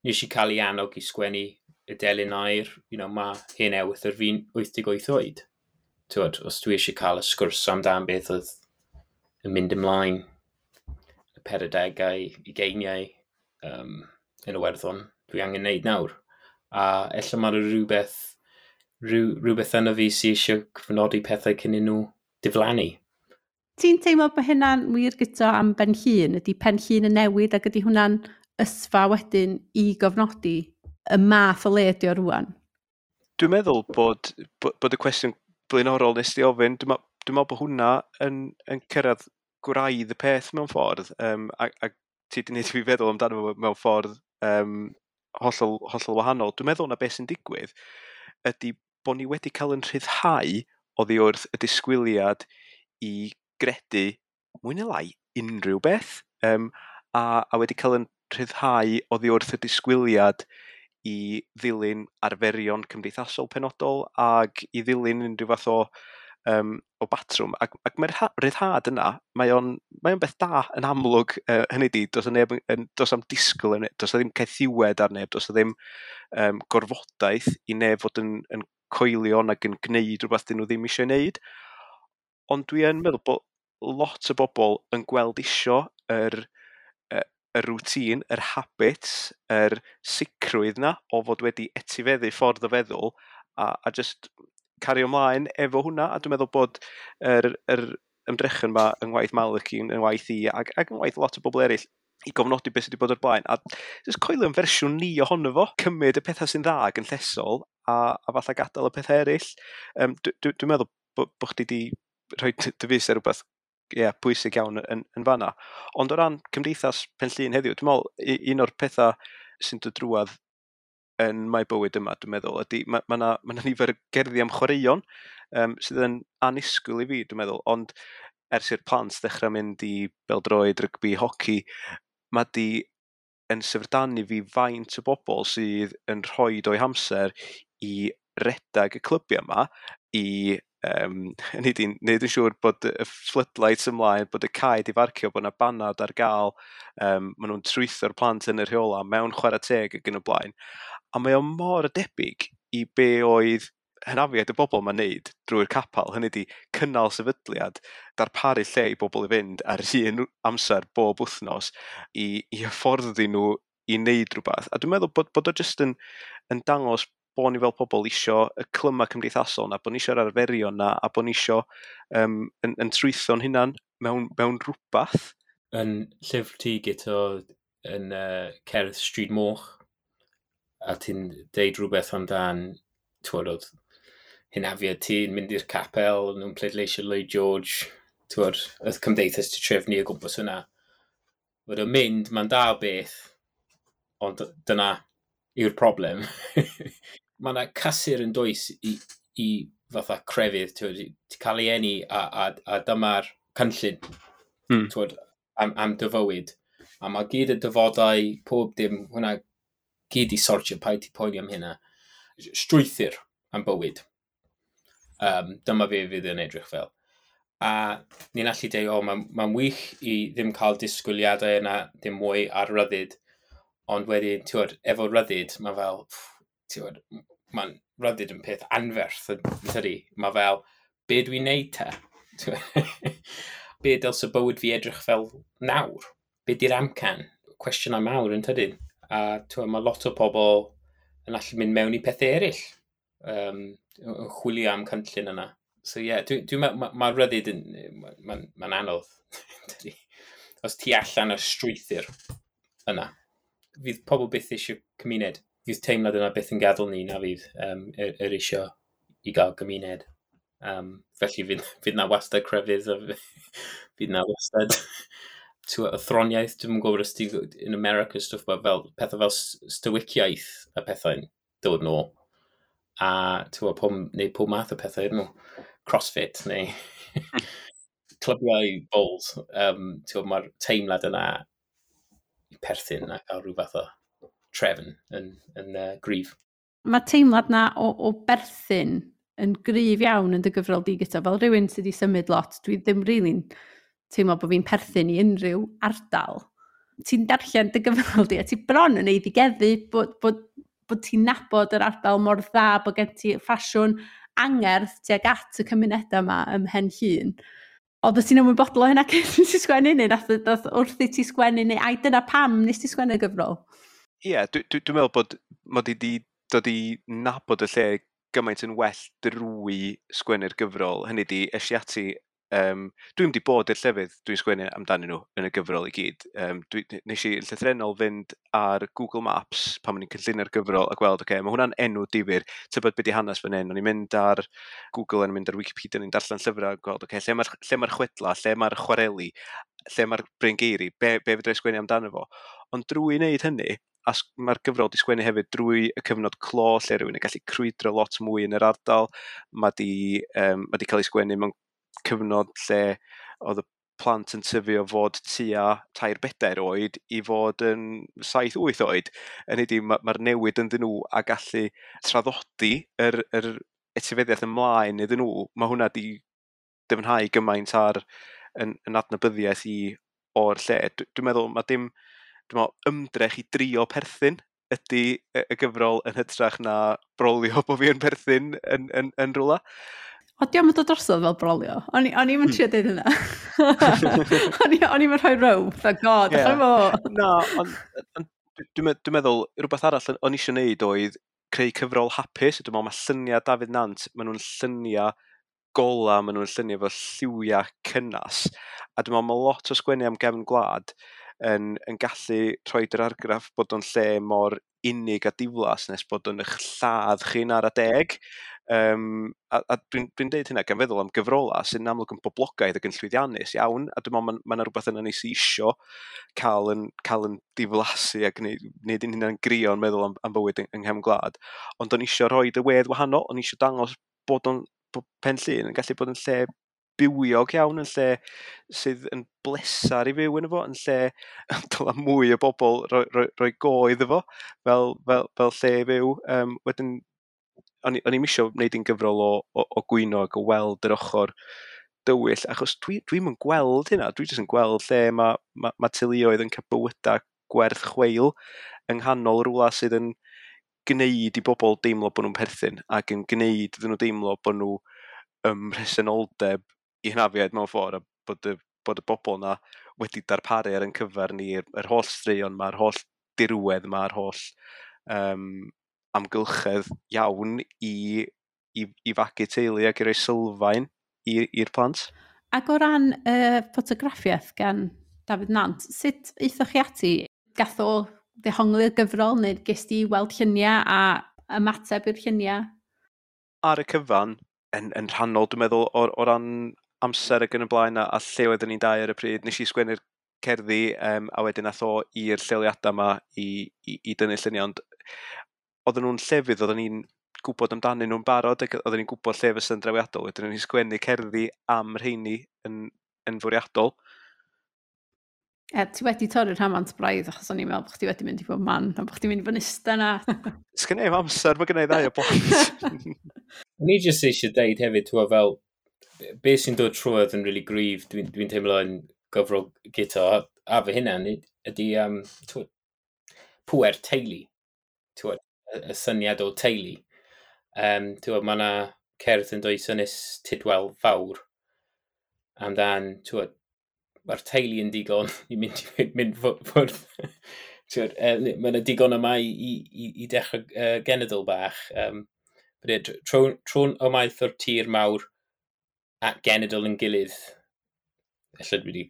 Nes i cael ei annog i sgwennu y delyn aur, mae hen ewythr fi'n 88 oed. Tywod, os dwi eisiau cael y sgwrs amdan beth oedd yn mynd ymlaen y 40au, ugeiniau yn y Werddon, dwi angen neud nawr. A ella mae rhywbeth yna fi sydd eisiau cyfnodi pethau cyn i nhw diflannu. Ti'n teimlo bod hynna'n wir, Guto, am Ben Llŷn? Ydy Pen Llŷn yn newid ac ydy hwnna'n ysfa wedyn i gofnodi y math o le ydy o rwan? Dwi'n meddwl bod y cwestiwn blaenorol nes di ofyn, dwi'n meddwl bod hwnna yn cyrraedd gwraidd y peth mewn ffordd, a ti di wneud i fi feddwl amdano fo mewn ffordd hollol, hollol wahanol. Dwi'n meddwl na beth sy'n digwydd ydy bod ni wedi cael yn rhyddhau oddi wrth y disgwyliad i gredu mwy neu lai unrhyw beth, a wedi cael yn rhyddhau oddi wrth y disgwyliad i ddilyn arferion cymdeithasol penodol ac i ddilyn unrhyw fath o batrwm. Ac mae'r rhyddhad yna, mae o'n beth da yn amlwg, hynny di, does neb yn, does am disgwyl, yn, does ddim caethiwed ar neb, does ddim gorfodaeth i neb fod yn coelio nag yn gwneud rhywbeth dyn nhw ddim eisiau wneud. Ond dwi yn meddwl bod lot o bobl yn gweld isio y routine, yr habits, yr sicrwydd na o fod wedi etifeddu ffordd o feddwl a just cario ymlaen efo hwnna. A dwi'n meddwl bod yr ymdrechyn yma yng ngwaith Malachy, yng ngwaith i ac yng ngwaith lot o bobl eraill i gofnodi beth sydd wedi bod o'r blaen. A just coelio yn fersiwn ni ohono fo, cymryd y pethau sy'n dda ac yn llesol a falle gadael y pethau eraill. Dwi'n meddwl bo chdi di rhoi dy fys ar rhywbeth, ie, pwysig iawn yn fanna. Ond o ran cymdeithas Pen Llŷn heddiw, dwi'n meddwl un o'r pethau sy'n dod drwadd yn Mae Bywyd Yma, dwi'n meddwl, ydy ma 'na nifer o gerddi am chwaraeon sydd yn annisgwyl i fi, dwi'n meddwl, ond ers i'r plant ddechrau mynd i bêl-droed, rygbi, hoci, ma' di yn syfrdanu fi faint o bobl sydd yn rhoi o'u hamser i redag y clybiau yma, i hynny ydi, wneud yn siŵr bod y floodlights ymlaen, bod y cae di farcio, bod 'na banad ar gael, maen nhw'n trwytho'r plant yn y rheola mewn chwarae teg ac yn y blaen. A mae o mor debyg i be oedd hynafiaid y bobl mae'n neud drwy'r capel, hynny ydi cynnal sefydliad, darparu lle i bobl i fynd ar un amser bob wythnos i hyfforddi nhw i wneud rhywbeth. A dwi'n meddwl bod o jyst yn dangos bod ni fel pobl isio y clyma cymdeithasol na, bod ni isio'r arferion na, a bod ni isio yn trwytho'n hunan mewn rhywbeth. Yn llyfr ti, Guto, yn Cerdd Stryd Moch, a ti'n deud rhywbeth amdan, twod, oedd hynafiad ti'n mynd i'r capel, nhw'n pleidleisio Lloyd George, twod, oedd cymdeithas ti trefnu o gwmpas hwnna. Fod o'n mynd, mae'n da o beth, ond dyna yw'r problem. Mae yna cysur yn does i fatha crefydd, twod, ti cael ei eni a dyma'r cynllun, twod, am dy fywyd. A mae gyd y dyfodau, pob dim, hwnna gyd i sortio, paid ti poeni am hynna. Strwythur am bywyd. Dyma fe fydd yn edrych fel. A ni'n allu dweud, o, ma wych i ddim cael disgwyliadau yna, ddim mwy ar ryddid. Ond wedyn, ti'n efo ryddid, mae fel, ti'n mae'n ryddid yn peth anferth, tydi? Mae fel, be dwi'n neud te? Be dylse bywyd fi edrych fel nawr? Be di'r amcan? Cwestiynau mawr yn tydyn. A ti'n mae lot o pobl yn allu mynd mewn i pethau eraill, yn chwilio am cynllun yna. So ie, yeah, dwi ma ryddid yn, ma anodd. Tydi? Os ti allan y strwythur yna, fydd pobl byth eisiau cymuned. Fydd teimlad yna byth yn gadael ni na fydd yr eisiau i gael gymuned. Felly fydd na wastad crefydd a fydd na wastad athroniaeth, dwi'n gwybod os ti in America stwff, fel pethau fel stoiciaeth a pethau'n dod nôl. A ti'n pob, neu pob math o pethau nhw. Crossfit neu clybiau bowls. Ti'n mae'r teimlad yna i perthyn a cael rhyw fath o trefn yn gryf. Mae teimlad na o berthyn yn gryf iawn yn dy gyfrol di gyda. Fel rhywun sydd wedi symud lot, dwi ddim really'n teimlo bod fi'n perthyn i unrhyw ardal. Ti'n darllen dy gyfrol di a ti bron yn eiddigeddu bod ti'n nabod yr ardal mor dda, bod gen ti ffasiwn angerdd tuag at y cymunedau yma ym Mhen Llŷn. Oedd ti'n ymwybodol o hynna cyn i ti sgwennu neu nath wrth i ti sgwennu neu ai dyna pam nes ti sgwennu gyfrol? Ie, yeah, dwi'n meddwl bod mod i wedi dod i nabod y lle gymaint yn well drwy sgwennu'r gyfrol. Hynny di, es i ati, dwi'n wedi bod i'r llefydd dwi'n sgwennu amdanyn nhw yn y gyfrol i gyd. Nes i llythrennol fynd ar Google Maps pan o'n i'n cynllunio'r gyfrol a gweld, oce, mae hwnna'n enw difyr, tybed beth di hanes fan hyn. O'n i'n mynd ar Google, o'n i'n mynd ar Wikipedia, o'n i'n darllen llyfrau a gweld, oce, lle mae'r chwedla, lle mae'r chwareli, lle mae'r Bryngeiri, be fedra i sgwennu amdano fo. Ond drwy wneud hynny, a mae'r gyfrol di sgwennu hefyd drwy y cyfnod clo lle rhywun yn gallu crwydro lot mwy yn yr ardal. Mae di cael ei sgwennu mewn cyfnod lle oedd y plant yn tyfu o fod tua 3-4 oed i fod yn 7-8 oed. Hynny ydi, mae'r newid ynddyn nhw a gallu traddodi yr etifeddiaeth ymlaen iddyn nhw, mae hwnna di dyfnhau gymaint ar yn adnabyddiaeth i o'r lle. Dwi'n meddwl mae dim, dwi'n meddwl ymdrech i drio perthyn ydy y gyfrol yn hytrach na brolio bod fi yn perthyn yn rhywle. O, diolch yn dod drosodd fel brolio. O'n i'm yn trio deud hynna. O'n i'm yn rhoi row. Thank God, yeah. Na, ond dwi'n meddwl, rhywbeth arall o'n eisiau gwneud oedd creu cyfrol hapus. Dwi'n meddwl mae lluniau Dafydd Nant, maen nhw'n lluniau gola, maen nhw'n lluniau efo lliwiau cynnas. A dwi'n meddwl mae lot o sgwennu am gefn gwlad yn gallu rhoi'r argraff bod o'n lle mor unig a diflas nes bod o'n eich lladd chi'n ar adeg. A dwi'n deud hynna gan feddwl am gyfrola sy'n amlwg yn boblogaidd ac yn llwyddiannus iawn, a dwi'n meddwl mae yna rhywbeth yna ni sydd isio cael yn diflasu a gwneud ein hunain grio yn meddwl am bywyd yng nghefn gwlad. Ond o'n isio rhoi y wedd wahanol, o'n isio dangos bod Pen Llŷn yn gallu bod yn lle bywiog iawn, yn lle sydd yn blesar i fyw yn efo, yn lle dyla mwy o bobl roi go iddo fo fel lle i fyw. Wedyn, o'n i'm isio wneud un gyfrol o gwyno ac o weld yr ochr dywyll, achos dwi'm yn gweld hynna, dwi jyst yn gweld lle mae teuluoedd yn cael bywydau gwerth chweil yng nghanol rhywle sydd yn gwneud i bobl deimlo bod nhw'n perthyn ac yn gwneud iddyn nhw deimlo bod nhw ym mhresenoldeb i hynafiaid mewn ffordd, a bod y bobl yna wedi darparu ar ein cyfer ni yr holl straeon 'ma, yr holl dirwedd 'ma, yr holl amgylchedd iawn i fagu teulu ac i roi sylfaen i'r plant. Ac o ran y ffotograffiaeth gan Dafydd Nant, sut aethoch chi ati? Gath o ddehongli'r gyfrol neu ges di weld lluniau a ymateb i'r lluniau? Ar y cyfan, yn rhannol, dwi'n meddwl, o ran amser ac yn y blaen a lle oeddwn ni'n dau ar y pryd, nes i sgwennu'r cerddi a wedyn ath o i'r lleoliadau yma i dynnu lluniau, ond oedden nhw'n llefydd oedden ni'n gwybod amdanyn nhw'n barod ac oedden ni'n gwybod lle fysa'n drawiadol. Wedyn o'n i'n sgwennu cerddi am rheini yn fwriadol. E, ti wedi torri'r rhamant braidd achos o'n i'n meddwl bod chdi wedi mynd i bob man a bod chdi'n mynd i fod yn ista 'na. Sgen i'm amser, mae gen i ddau o blant. O'n i jyst eisiau deud hefyd, ti'n fel, be sy'n dod trwodd yn really gryf, dwi teimlo yn gyfrol Guto, a fy hunan, ydy t'wod, pŵer teulu, t'wod, y syniad o teulu. T'wod, mae yna cerdd yn dweud Ynys Tudwal Fawr amdan, t'wod, mae'r teulu yn digon i mynd ffwrdd. T'wod, mae yna digon yma i dechrau genedl bach. Tro'n ymaith o'r tir mawr at genedl yn gilydd. Ella dwi wedi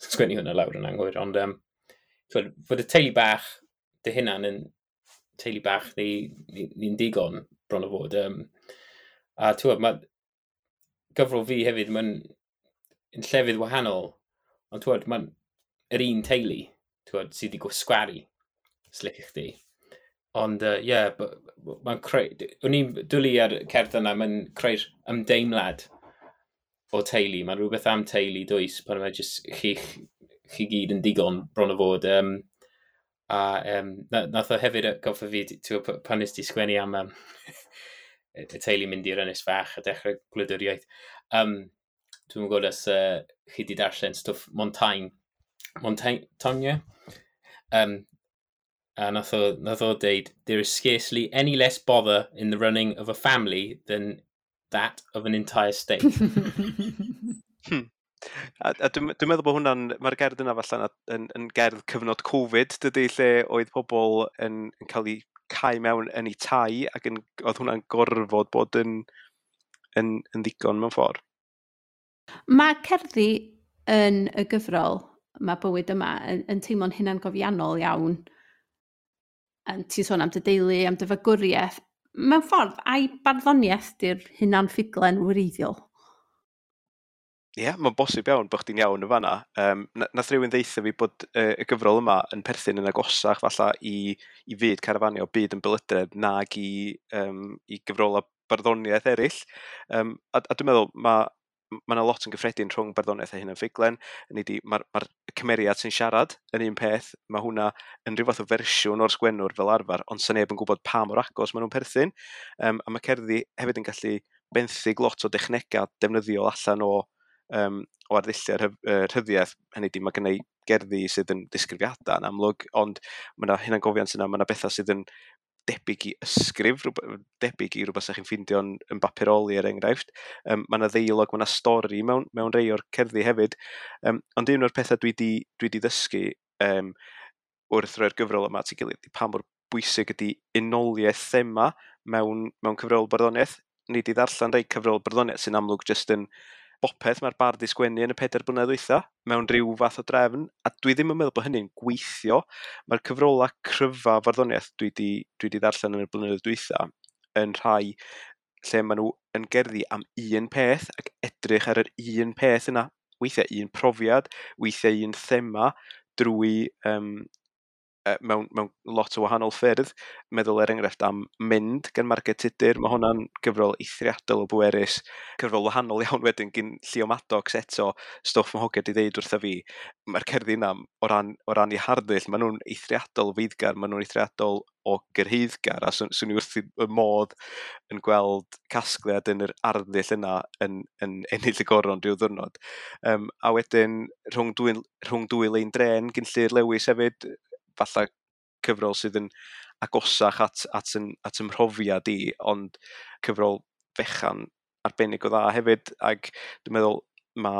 sgwennu hwnna lawr yn anghywir, ond t'wod, fod y teulu bach dy hunan yn teulu bach ni'n digon bron o fod. A t'wod, mae gyfrol fi hefyd, mae'n yn llefydd wahanol, ond t'wod, mae'n yr un teulu, t'wod, sydd wedi gwasgaru, slic i chdi. Ond, ie, yeah, mae'n creu... O'n i'n dwlu ar cerdd yna, mae'n creu'r ymdeimlad o teulu. Mae'n rhywbeth am teulu dwys, pan mae jyst chi gyd yn digon bron o fod. A nath o hefyd goffa fi, ti'n pan nes ti sgwennu am y teulu mynd i'r ynys fach a dechrau gwladwriaeth. Dwi'n gwybod os chi wedi darllen stwff Montaigne. Montaigne? A nath o deud, "There is scarcely any less bother in the running of a family than that of an entire state." A dwi meddwl bod hwnna'n, mae'r gerdd yna falle yn gerdd cyfnod Covid, dydy, lle oedd pobl yn cael eu cau mewn yn eu tai ac oedd hwnna'n gorfod bod yn ddigon mewn ffordd. Mae cerddi yn y gyfrol, mae bywyd yma, yn teimlo'n hunangofiannol iawn. Yn ti'n sôn am dy deulu, am dy fagwriaeth. Mewn ffordd, ai barddoniaeth di'r hunan ffuglen wreiddiol? Ie, yeah, mae'n bosib iawn bod chdi'n iawn yn fanna. Nath rhywun ddeutha fi bod y gyfrol yma yn perthyn yn agosach falla i fyd carafanio, byd ymbelydredd, nag i gyfrola barddoniaeth eraill. A dwi'n meddwl, mae yna lot yn gyffredin rhwng barddoniaeth a hunan ffuglen. Hynny ydi, ma cymeriad sy'n siarad yn un peth, mae hwnna yn rhyw fath o fersiwn o'r sgwennwr fel arfer, ond sa neb yn gwybod pa mor agos maen nhw'n perthyn. A mae cerddi hefyd yn gallu benthyg lot o dechnegau defnyddiol allan o arddulliau rhyddiaeth. Hynny ydi, mae gen i gerddi sydd yn disgrifiadau yn amlwg, ond mae yna hunangofiant yna, mae yna bethau sydd yn debyg i ysgrif, debyg i rhywbeth sa'ch chi'n ffindio yn bapuroli er enghraifft. Mae yna ddeialog, mae yna stori mewn rei o'r cerddi hefyd. Ond un o'r pethau dwi di ddysgu wrth roi'r gyfrol yma at ei gilydd, ydi pa mor bwysig ydy unoliaeth thema mewn cyfrol barddoniaeth. Ni di ddarllen rhai cyfrol barddoniaeth sy'n amlwg jyst yn bopeth mae'r bardd 'di sgwennu yn y 4 blynedd dwytha mewn rhyw fath o drefn, a dwi ddim yn meddwl bod hynny'n gweithio. Mae'r cyfrola cryfa farddoniaeth dwi di ddarllen yn y blynyddoedd dwytha yn rhai lle maen nhw yn gerddi am un peth ac edrych ar yr un peth yna. Weithiau un profiad, weithiau un thema drwy mewn lot o wahanol ffyrdd. Meddwl er enghraifft am Mynd gan Marged Tudur, mae hwnna'n gyfrol eithriadol o bwerus. Cyfrol wahanol iawn wedyn gyn Llio Maddox eto, stwff mae hogia di ddeud wrtha fi. Mae'r cerddi yna o ran eu harddull, maen nhw'n eithriadol o feiddgar, maen nhw'n eithriadol o gyrhaeddgar, a swn i wrth y modd yn gweld casgliad yn yr arddull yna yn ennill y goron rhyw ddwrnod. A wedyn rhwng dwy lein dren gyn Llyr Lewis hefyd, falle cyfrol sydd yn agosach at ymhrofiad i, ond cyfrol fechan arbennig o dda hefyd, ac dwi'n meddwl ma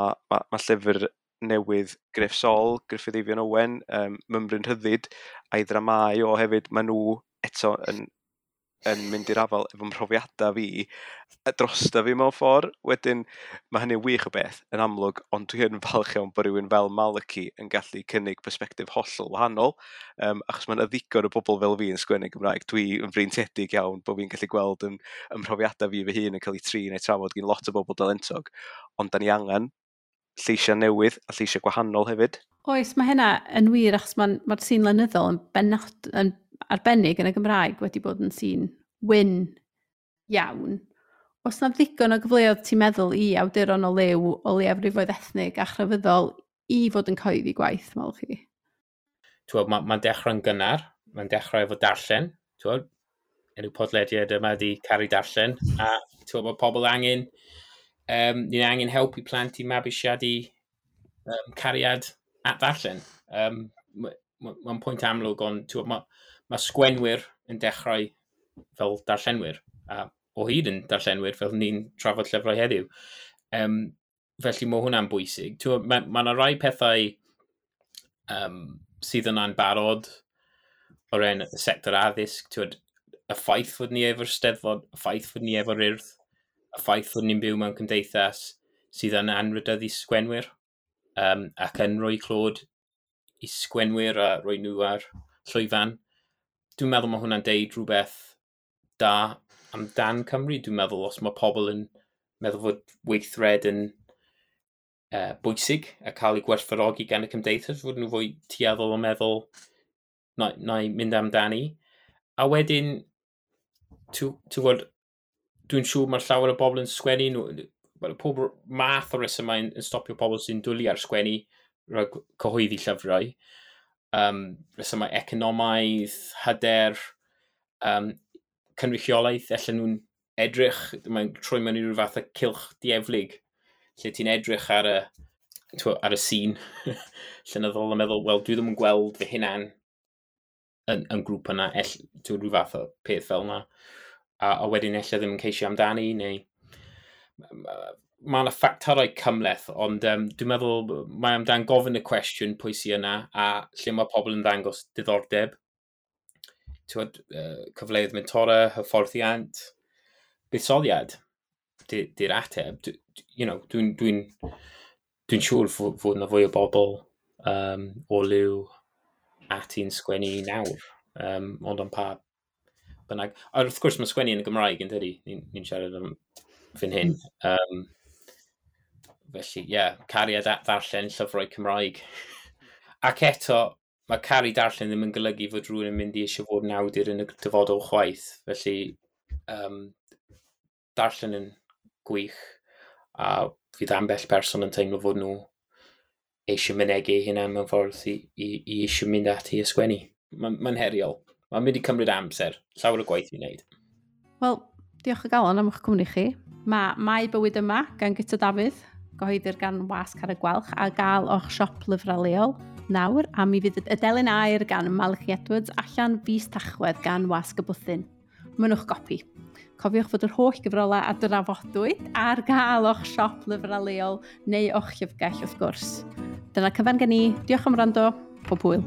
llyfr newydd Gruff Sol, Gruffydd Eifion Owen, Mymryn Rhyddid, a'i ddramau o hefyd, maen nhw eto yn mynd i'r afael efo mhrofiadau fi drosta fi mewn ffordd. Wedyn, mae hynny'n wych o beth, yn amlwg, ond dwi yn falch iawn bod rhywun fel Malachy yn gallu cynnig persbectif hollol wahanol, achos mae'n ddigon o bobl fel fi yn sgwennu Gymraeg. Dwi yn freintiedig iawn bod fi'n gallu gweld yn ymhrofiadau fi fy hun yn cael ei trin neu trafod gen lot o bobl dalentog, ond da ni angen lleisiau newydd a lleisiau gwahanol hefyd. Oes, mae hynna yn wir, achos mae'r sîn lenyddol yn benod, yn arbennig yn y Gymraeg wedi bod yn sîn wyn iawn. Oes na ddigon o gyfleoedd ti'n meddwl i awduron o liw, o leiafrifoedd ethnig a chrefyddol i fod yn cyhoeddi gwaith, Malachy? Mae'n dechrau'n gynnar, mae'n dechrau efo darllen. T'wod, enw podlediad yma di Caru Darllen, a t'wod, mae pobl angen, ni'n angen helpu plant i mabwysiadu cariad at ddarllen. Mae'n pwynt amlwg, ond t'wod, mae sgwenwyr yn dechrau fel darllenwyr, a o hyd yn darllenwyr fel ni'n trafod llyfrau heddiw. Felly mae hwnna'n bwysig. Mae yna rai pethau sydd yna'n barod o ran y sector addysg, t'wod, y ffaith fod ni efo'r Steddfod, y ffaith fod ni efo'r Urdd, y ffaith fod ni'n byw mewn cymdeithas sydd yn anrhydeddu sgwenwyr, ac yn rhoi clod i sgwenwyr a rhoi nhw ar llwyfan. Dwi'n meddwl mae hwnna'n deud rhywbeth da amdan Cymru. Dwi'n meddwl os mae pobl yn meddwl fod weithred yn bwysig a cael ei gwerthfawrogi gan y cymdeithas, fod nhw fwy tueddol o meddwl na i mynd amdani. A wedyn, ti'n gwybod, dwi'n siŵr mae'r llawer o bobl yn sgwennu, nhw, pob math o resymau yn stopio pobl sy'n dwlu ar sgwennu rhag cyhoeddi llyfrau. Resymau economaidd, hyder, cynrychiolaeth, allan nhw'n edrych, mae'n troi mewn i ryw fath o cylch dieflig, lle ti'n edrych ar y sîn llenyddol a meddwl, wel, dwi ddim yn gweld fy hunan yn grŵp yna, ti'n rhyw fath o peth fel yna. A wedyn ella ddim yn ceisio amdani, neu mae yna ffactorau cymhleth, ond dwi'n meddwl mae amdan gofyn y cwestiwn pwy sy yna, a lle mae pobl yn ddangos diddordeb. T'wod, cyfleoedd mentora, hyfforddiant, buddsoddiad, di'r ateb. Dwi'n siŵr fod yna fwy o bobl o liw ati'n sgwennu nawr, ond am pa bynnag. A wrth gwrs mae sgwennu yn y Gymraeg yn dydi, ni'n siarad am fan hyn. Felly, ie, yeah, cariad at ddarllen llyfrau Cymraeg. Ac eto, mae caru darllen ddim yn golygu fod rhywun yn mynd i eisiau fod yn awdur yn y dyfodol chwaith. Felly, darllen yn gwych, a fydd ambell person yn teimlo fod nhw eisiau mynegi eu hunan mewn ffordd i eisiau mynd ati i ysgwennu. Mae'n heriol. Mae'n mynd i cymryd amser. Llawer o gwaith i wneud. Wel, diolch o galon am eich cwmni chi. Mae Mae Bywyd Yma gan Guto Dafydd, gyhoeddir gan Wasg Carreg Gwalch, a gael o'ch siop lyfrau leol nawr, a mi fydd y Delyn Aur gan Malachy Edwards allan fis Tachwedd gan Wasg y Bwthyn. Mynnwch gopi. Cofiwch fod yr holl gyfrolau a drafodwyd ar gael o'ch siop lyfrau leol neu o'ch llyfrgell wrth gwrs. Dyna cyfan gen i. Diolch am wrando. Pob hwyl.